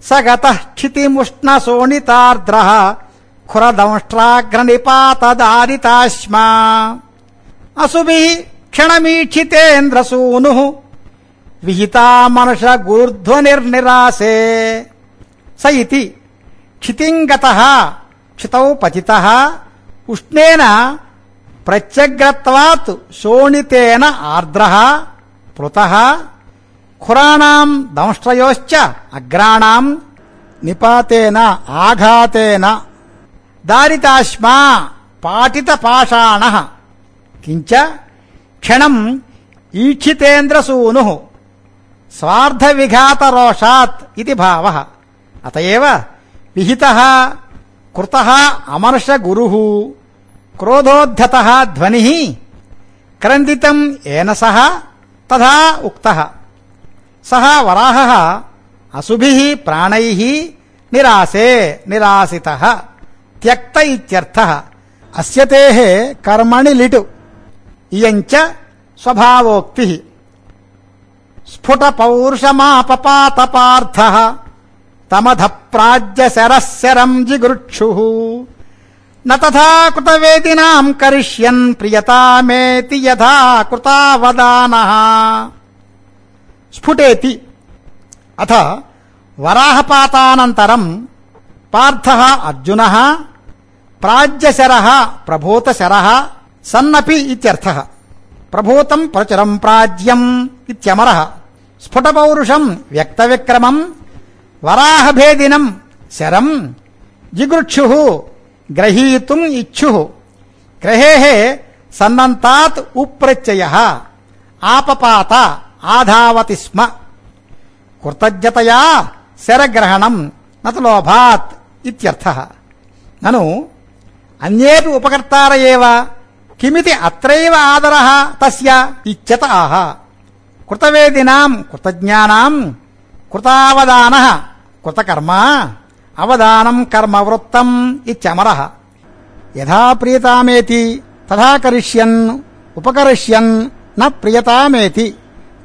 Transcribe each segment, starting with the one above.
स गतः क्षितिमुष्णशोणितार्द्रः खुरदंष्ट्राग्रनिपातदारिताश्मा असुभिः क्षणमीक्षितेन्द्रसूनुः विहिता मनस गुरुध्वनिर्निरासे स इति क्षितिङ्गतः क्षितौ पतितः उष्णेन प्रत्यग्रत्वात् शोणितेन आर्द्रः प्लुतः खुराणाम् दंष्ट्रयोश्च अग्राणाम् निपातेन आघातेन दारिताश्मा पाटितपाषाणः किञ्च क्षणम् ईक्षितेन्द्रसूनुः स्वार्धविघातरोषात् इति भावः अतएव विहितः कृतः अमर्ष गुरुः क्रोधोद्धतः ध्वनिः क्रन्दितम् येन सह तथा उक्तः सः वराहः असुभिः प्राणैः निरासे निरासितः त्यक्त इत्यर्थः अस्य तेः कर्मणि लिटु इयञ्च स्वभावोक्तिः स्फुट पौरुषमापपात पार्थः तमध प्राज्यशरः शरम् जिगृक्षुः न तथा कृतवेदिनाम् करिष्यन् प्रियतामेति यथा कृतावदानः स्फुटेति अथ वराहपातानन्तरम् पार्थः अर्जुनः प्राज्यशरः प्रभूतशरः सन्नपि इत्यर्थः प्रभूतम् प्रचुरम् प्राज्यम् इत्यमरः स्फुटपौरुषम् व्यक्तविक्रमम् वराहभेदिनम् शरम् जिगृक्षुः ग्रहीतुम् इच्छुः ग्रहेः सन्नन्तात् उप्रत्ययः आपपात आधावति स्म कृतज्ञतया शरग्रहणम् न तु लोभात् इत्यर्थः ननु अन्येपि उपकर्तार एव किमिति अत्रैव आदरः तस्य इच्छत आह कृतवेदिनाम् कृतज्ञानाम् कृतावदानः कृतकर्मा अवदानम् कर्मवृत्तम् इत्यमरः यथा प्रियतामेति तथा करिष्यन् उपकरिष्यन् न प्रियतामेति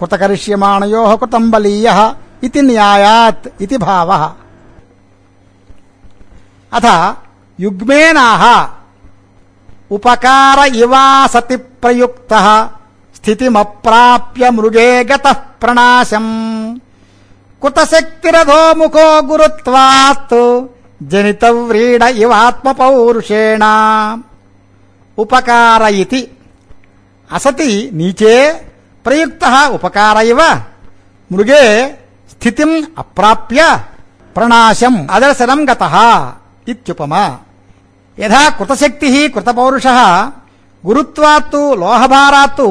कृतकरिष्यमाणयोः कृतम् बलीयः इति न्यायात् इति भावः अथ युग्मेनाह उपकार इवासति प्रयुक्तः स्थितिमप्राप्य मृगे गतः प्रणाशम् कुतशक्तिरधो मुखो गुरुत्वात् जनितव्रीड इवात्मपौरुषेण उपकार इति असति नीचे प्रयुक्तः उपकार इव मृगे स्थितिम् अप्राप्य प्रणाशम् अदर्शनम् गतः इत्युपमा यथा कृतशक्तिः कृतपौरुषः गुरुत्वात्तु लोहभारात्तु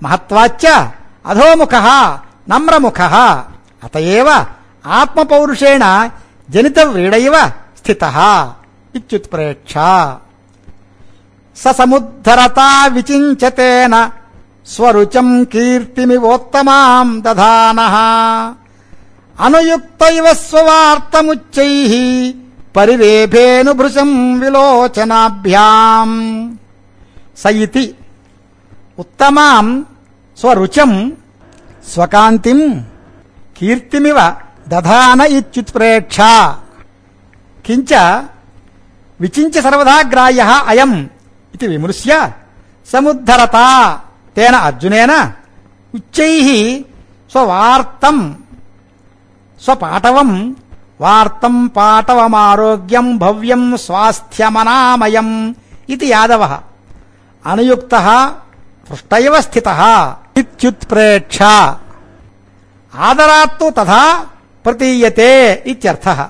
महत्वाच्च अधोमुखः नम्रमुखः अतएव आत्मपौरुषेण जनितव्रीडैव स्थितः इत्युत्प्रेक्षा स समुद्धरता विचिञ्चतेन स्वरुचम् कीर्तिमिवोत्तमाम् दधानः अनुयुक्त इव स्ववार्तमुच्चैः परिरेभेनुभृशम् विलोचनाभ्याम् स इति उत्तमाम् स्वरुचम् स्वकान्तिम् कीर्तिमिव दधान इत्युत्प्रेक्षा किञ्च विचिन्त्य सर्वदा ग्राह्यः अयम् इति विमृश्य समुद्धरता तेन अर्जुनेन उच्चैः स्ववार्तम् स्वपाटवम् वार्तम् पाटवमारोग्यम् भव्यम् स्वास्थ्यमनामयम् इति यादवः अनुयुक्तः पृष्ठ इव स्थितः इत्युत्प्रेक्षा आदरात्तु तथा प्रतीयते इत्यर्थः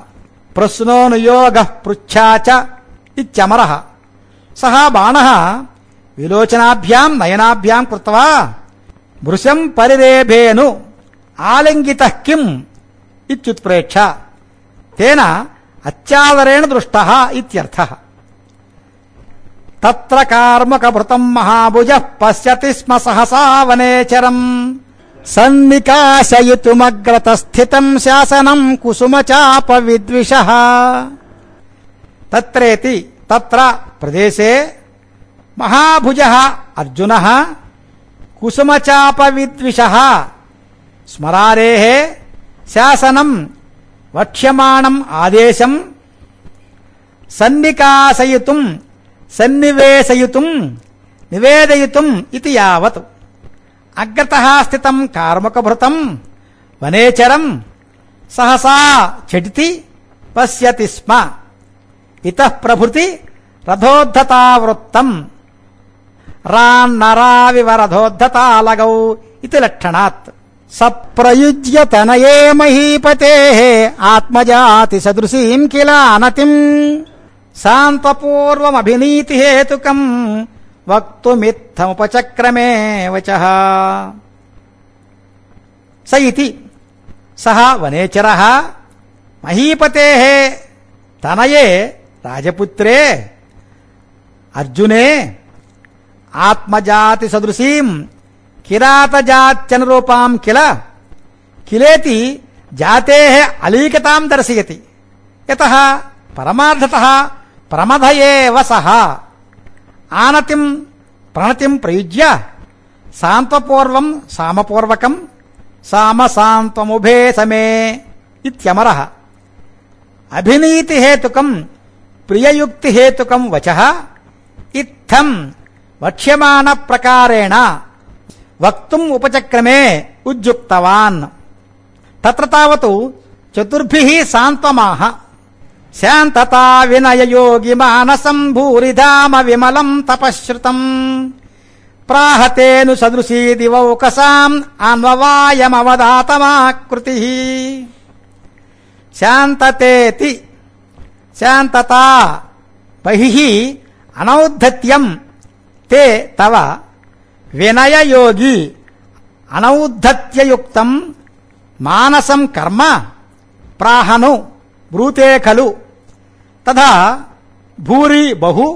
प्रश्नोऽनुयोगः पृच्छा च इत्यमरः सः बाणः विलोचनाभ्याम् नयनाभ्याम् कृत्वा भृशम् परिरेभेनु आलिङ्गितः किम् इत्युत्प्रेक्षा तेन अत्यादरेण दृष्टः इत्यर्थः तत्र कार्मुकभृतम् महाभुजः पश्यति स्म सहसा वनेचरम् सन्निकाशयितुमग्रतस्थितम् शासनम् कुसुमचापविद्विषः तत्रेति तत्र प्रदेशे महाभुजः अर्जुनः कुसुमचापविद्विषः स्मरारेः शासनम् వక్ష్యమాణం ఆదేశం సన్నికాసయితుం సన్నివేశయితుం నివేదయితుం ఇతి యావత్ అగ్రతః స్థితం కార్ముకభృతం వనేచరం సహసా చటితి పశ్యతి స్మ ఇతః ప్రభృతి రథోద్ధతావృత్తం రాన్నరావివ రథోద్ధతాలగౌ ఇతి లక్షణాత్ సప్రయుజ్య తనయే మహీపతేః ఆత్మజాతి సదృశీం కిల అనతిం సాంత్వపూర్వమభినీతి హేతుకం వక్తుమిత్తముపచక్రమే వచః స ఇతి సహ వనేచరః మహీపతేః తనయే రాజపుత్రే అర్జునే ఆత్మజాతి సదృశీం కిరాతజాత్యనురూపాం కిలేతి జాతేః అలీకతాం దర్శయతి యతః పరమార్థతః ప్రమథ ఏవ సః ఆనతిం ప్రణతిం ప్రయుజ్య సాంత్వపూర్వం సామపూర్వకం సామసాంత్వముభే సమే ఇత్యమరః అభినీతి హేతుకం ప్రియయుక్తి హేతుకం వచః ఇత్థం వక్ష్యమాణ ప్రకారేణ వక్తుం ఉపచక్రమే ఉజ్జుక్తవాన్ తత్ర తావతు చతుర్భిః సాంత్వమాహ శాంతతా వినయయోగి మానసం భూరిధామ విమలం తపశ్రుతం ప్రాహతేను సదృశీ దివౌకసాం అన్వవాయమవదాతమాకృతిః శాంతతేతి శాంతతా బహిః అనౌద్ధత్యం తే తవ వినయయోగి అనౌద్ధత్యయుక్తం మానసం కర్మ ప్రాహను బ్రూతే ఖలు తథా భూరి బహు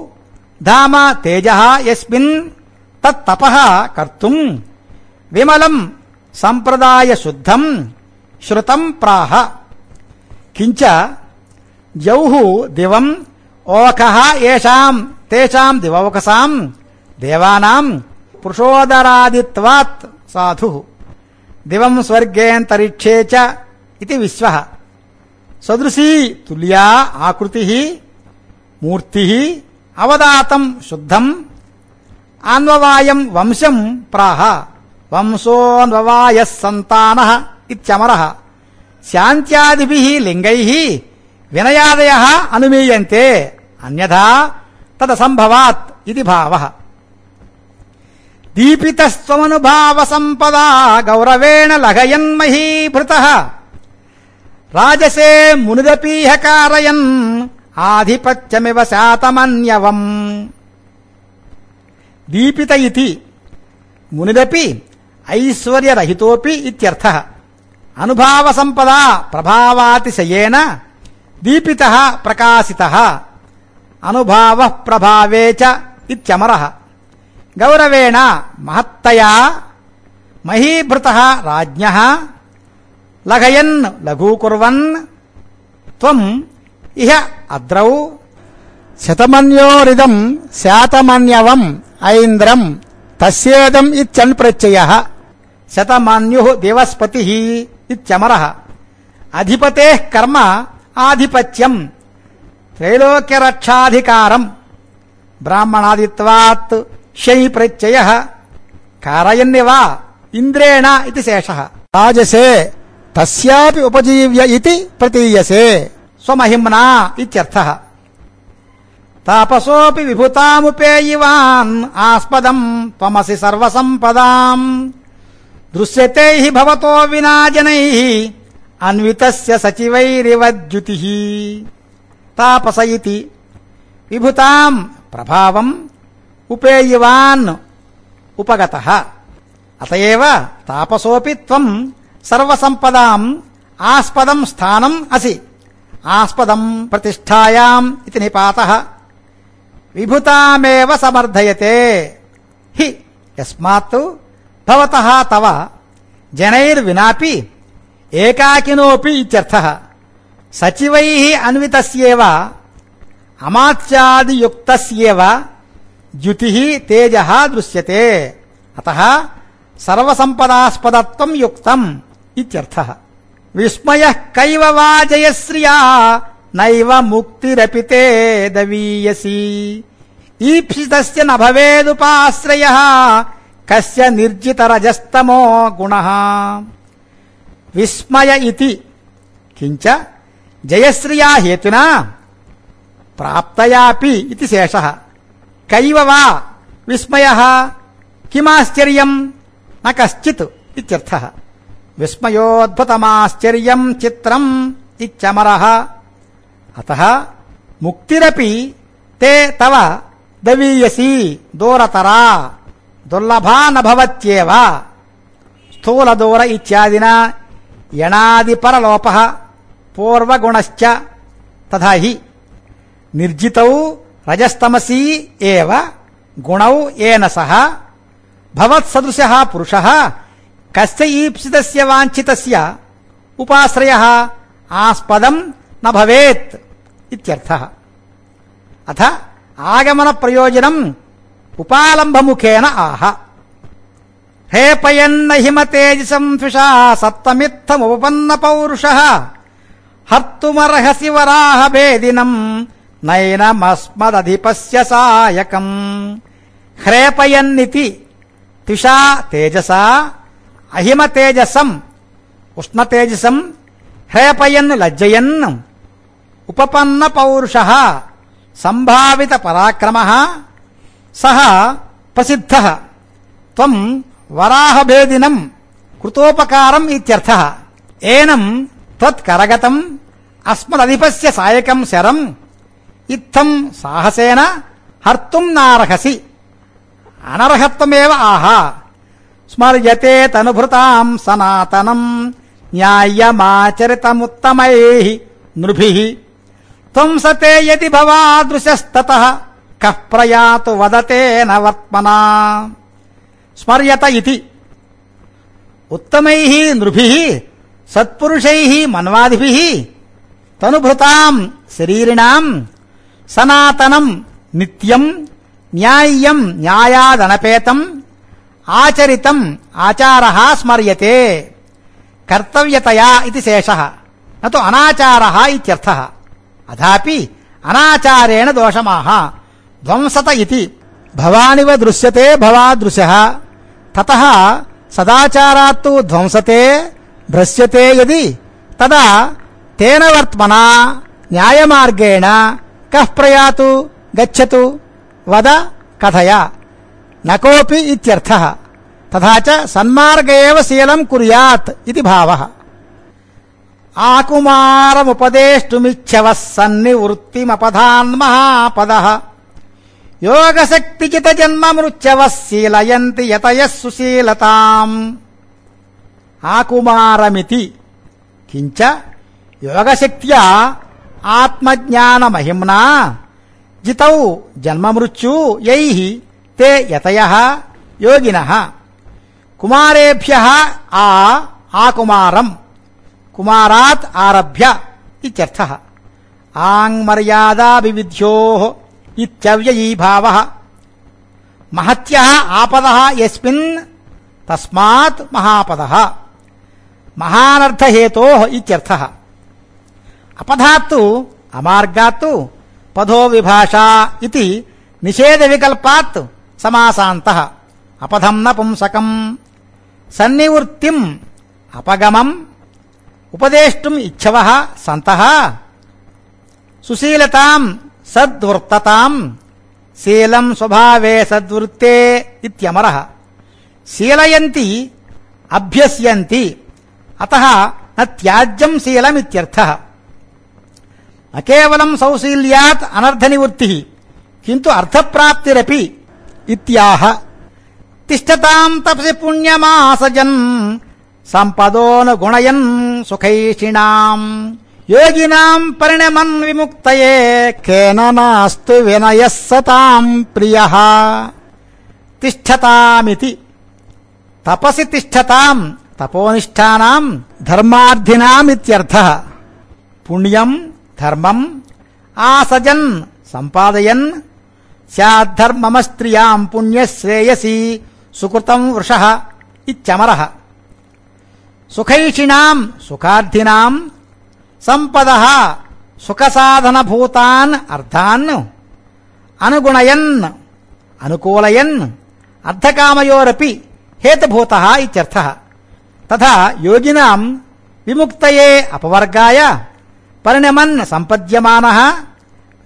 ధామ తేజః యస్మిన్ తత్తపః కర్తుం విమలం సంప్రదాయ శుద్ధం శ్రుతం ప్రాహ కించ జౌః దివం ఓకః ఏషాం తేషాం దివౌకసాం దేవానాం పురుషోదరాదిత్వాత్ సాధుః దివం స్వర్గేంతరిక్షే చ ఇతి విశ్వః సదృశీ తుల్యా ఆకృతిః మూర్తిః అవదాతం శుద్ధం అన్వవాయం వంశం ప్రాహ వంశోన్వవాయః సంతానః ఇత్యమరః శాంత్యాదిభిః లింగైః వినయాదయః అనుమీయంతే అన్యథా తదసంభవాత్ ఇది భావః దీపితస్త్వమనుభావ సంపదా గౌరవేణ లఘయన్మహీభృతః రాజసే మునిదపీహ కారయన్ ఆధిపత్యమివ శాతమన్యవం దీపిత ఇతి మునిదపి ఐశ్వర్యరహితోపి ఇత్యర్థః అనుభావ సంపదా ప్రభావాతిశయేన దీపితః ప్రకాశితః అనుభావః ప్రభావే చ ఇత్యమరః గౌరవేణ మహత్తయా మహీభృతః రాజ్ఞః లఘయన్ లఘూకుర్వన్ త్వం ఇహ అద్రౌ శతమన్యోరిదం శాతమన్యవం ఐంద్రం తస్యేదం ఇత్యన్ ప్రత్యయః శతమన్యుః దేవస్పతిః ఇత్యమరః అధిపతేః కర్మ ఆధిపత్యం త్రైలోక్యరక్షాధికారం బ్రాహ్మణాదిత్వాత్ శై ప్రత్యయః కారయన్నివ ఇంద్రేణ ఇది శేషః రాజసే తస్యాపి ఉపజీవ్య ఇతి ప్రతీయసే స్వమహిమ్నా ఇత్యర్థః తాపసోపి విభుతాముపేయివాన్ ఆస్పదం త్వమసి సర్వసంపదాం దృశ్యతే హి భవతో వినా జనైః అన్వితస్య సచివైరివద్యుతిః తాపస ఇతి విభుతాం ప్రభావం ఉపేయివాన్ ఉపగతః అతయేవ తాపసోపి త్వం సర్వసంపదాం ఆస్పదం స్థానం అసి ఆస్పదం ప్రతిష్ఠాయాం ఇతి నిపాతః విభుతామేవ సమర్థయతే హి యస్మాత్ భవతః తవ జనైర్వినాపి ఏకాకినోపి ఇత్యర్థః సచివైః అన్వితస్యేవ అమాత్యాదియుక్తస్యేవ ద్యుతిః తేజః దృశ్యతే అతః సర్వసంపదాస్పదత్వం యుక్తం ఇత్యర్థః విస్మయః కైవ వా జయశ్రియా నైవ ముక్తిరపి తే దవీయసి ఈప్సితస్య న భవేదుపాశ్రయః కస్య నిర్జితరజస్తమో గుణః విస్మయ ఇతి కించ జయశ్రియా హేతునా ప్రాప్తయాపి ఇతి శేషః కైవ వా విస్మయః కిమాశ్చర్యం న కశ్చిత్ ఇత్యర్థః విస్మయోద్భుతమాశ్చర్యం చిత్రం ఇత్యమరః అతః ముక్తిరపి తే తవ దవీయసి దూరతరా దుర్లభా న భవత్యేవ స్థూల దూర ఇత్యాదినా యణాది పరలోపః పూర్వగుణశ్చ తథా హి నిర్జితౌ రజస్తమసీ ఏవ గుణౌ ఏన సహ భవత్సదృశః పురుషః కస్య ఈప్సితస్య వాంఛితస్య ఉపాశ్రయః ఆస్పదం న భవేత్ ఇత్యర్థః అథ ఆగమన ప్రయోజనం ఉపాలంభముఖేన ఆహ హేపయన్న హిమతేజసం ద్విషా సత్వమిత్తముపపన్న పౌరుషః హర్తుమర్హసి వరాహ భేదినం నైనమస్మదధిపస్య సాయకం హ్రేపయన్నితి త్విషా తేజసా అహిమతేజసం ఉష్ణతేజసం హ్రేపయన్ లజ్జయన్ ఉపపన్న పౌరుషః సంభావిత పరాక్రమః సహ ప్రసిద్ధః త్వం వరాహభేదినం కృతోపకారం ఇత్యర్థః ఏనం త్వత్కరగతం అస్మదధిపస్య సాయకం శరం ఇత్థం సాహసేన హర్తుం నార్హసి అనర్హత్వమేవ ఆహ స్మర్యతే తనుభృతాం సనాతనం న్యాయమాచరితముత్తమైః నృభిః త్వం సతే యది భవాదృశస్తతః కః ప్రయాతు వదతేన వర్త్మనా స్మర్యత ఇతి ఉత్తమైః నృభిః సత్పురుషైః మన్వాదిభిః తనుభృతాం శరీరిణాం సనాతనం నిత్యం న్యాయ్యం న్యాయాదనపేతం ఆచరితం ఆచారః స్మర్యతే కర్తవ్యతయా ఇది శేషః నతు అనాచారః ఇత్యర్థః అథాపి అనాచారేణ దోషమాహ ధ్వంసత ఇతి భవానివ దృశ్యతే భవాదృశః తతః సదాచారాత్తు ధ్వంసతే భ్రశ్యతే యది తదా తేన వర్త్మనా న్యాయమార్గేణ కః ప్రయాతు గచ్చతు వద కథయ నకోపి ఇత్యర్థః తథా చ సన్మార్గ ఏవ శీలం కుర్యాత్ ఇది భావః ఆకుమారముపదేష్టుమిచ్చవః సన్నివృత్తిమపధాన్ మహాపదః యోగశక్తిచిత జన్మమృత్యవః శీలయంతి యతయః సుశీలతాం ఆకుమారమితి కించ యోగశక్త్యా ఆత్మజ్ఞానమహిమ్నా జితౌ జన్మమృత్యు యైః తే యతయః యోగినః కుమారేభ్యః ఆకుమారం కుమారాత్ ఆరభ్య ఇత్యర్థః ఆంగ్మర్యాదా వివిధ్యోః ఇత్యవ్యయీ భావః మహత్యః ఆపదః యస్మిన్ తస్మాత్ మహాపదః మహానర్థహేతోః ఇత్యర్థః అపధాత్తు అమార్గాత్తు పదో విభాషా ఇతి నిషేధ వికల్పాత్ సమాసాంతః అపధం నపుంసకం సన్నివృత్తిం అపగమం ఉపదేష్టుం ఇచ్ఛవః సంతః సుశీలతాం సద్వృత్తతాం శీలం స్వభావే సద్వృత్తే ఇత్యమరః శీలయంతి అభ్యస్యంతి అతః న త్యాజ్యం శీలమిత్యర్థః న కేవలం సౌశీల్యాత్ అనర్థ నివృత్తిః కింటు అర్థప్రాప్తిరపి ఇత్యాహ తిష్టతాం తపసి పుణ్యమాసజన్ సంపదోనుగుణయన్ సుఖైషిణాం యోగినాం పరిణమన్ విముక్తయే కేన నాస్తు వినయః సతాం ప్రియః తిష్టతామితి తపసి తిష్టతాం తపోనిష్టానాం ధర్మార్థినామిత్యర్థః పుణ్యం ధర్మం ఆసజన్ సంపాదయన్ సుఖైషిణాం సుఖార్థినాం సంపదః సుఖసాధనభూతాన్ అర్థాన్ అనుగుణయన్ అనుకూలయన్ అర్థకామయోరపి హేతుభూతః ఇత్యర్థః. తథా యోగినాం విముక్తయే అపవర్గాయ పరిణమన్ సంపద్యమానః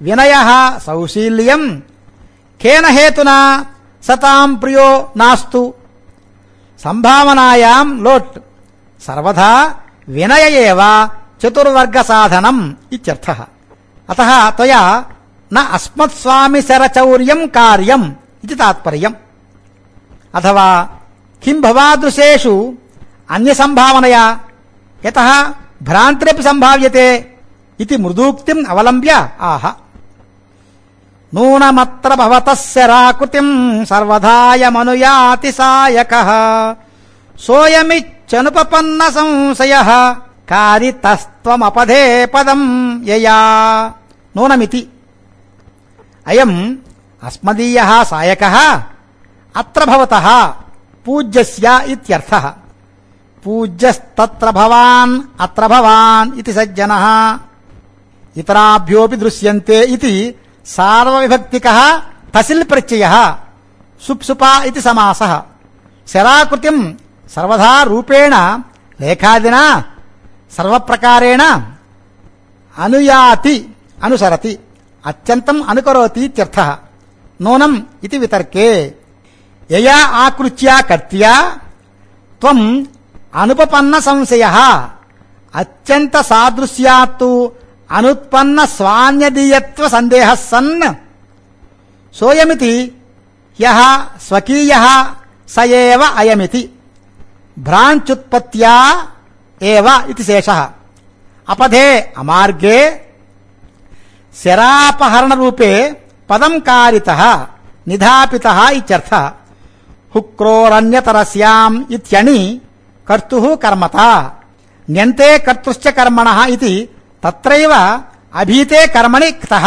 వినయః సౌశీల్యం కేన హేతునా సతాం ప్రియో నాస్తు. సంభావనాయాం లోట్ సర్వదా వినయ ఏవ చతుర్వర్గ సాధనం ఇత్యర్థః. అతః త్వయా న అస్మత్స్వామి శరచౌర్యం కార్యం ఇది తాత్పర్యం. అథవా కిం భవాదృశేషు అన్య సంభావనయా యతః భ్రాంతిరపి సంభావ్యతే ఇది మృదూక్తిం అవలంబ్య ఆహ. నూనమత్ర భవతః శరాకృతిం సర్వధాయమనుయాతి సాయకః సోయమిచ్చనుపపన్న సంశయః కారితస్త్వమపధే పదం యయా. నూనమితి అయం అస్మదీయః సాయకః అత్ర భవతః పూజ్యస్య ఇత్యర్థః. పూజ్యస్తత్ర భవాన్ అత్ర భవాన్ ఇతి సజ్జనః ఇతరాభ్యోపి దృశ్యంతే ఇతి సార్వవిభక్తికః తసిల్ ప్రత్యయః సుప్సుపా ఇతి సమాసః. శరాకృతిం సర్వదా రూపేణ లేఖాదినా సర్వప్రకారేణ అనుయాతి అనుసరతి అత్యంతం అనుకరోతి ఇత్యర్థః. నూనం ఇది వితర్కే యయా ఆకృత్యా కర్త్యా త్వం అనుపపన్న సంశయః అత్యంత సాదృశ్యాత్తు అనుత్పన్న స్వాన్యదీయత్వ సందేహः సన్ సోయమితి యః స్వకీయః స ఏవ అయమితి భ్రాంత్యుత్పత్త్యా ఏవ ఇతి శేషః. అపధే అమార్గే శరాపహరణ రూపే పదం కారితః నిధాపితః ఇత్యర్థః. హుక్రోరన్యతరస్యాం ఇత్యని కర్తుః కర్మత న్యంతే కర్తుశ్చ కర్మణః ఇతి తత్రైవ అభీతే కర్మణి క్తః.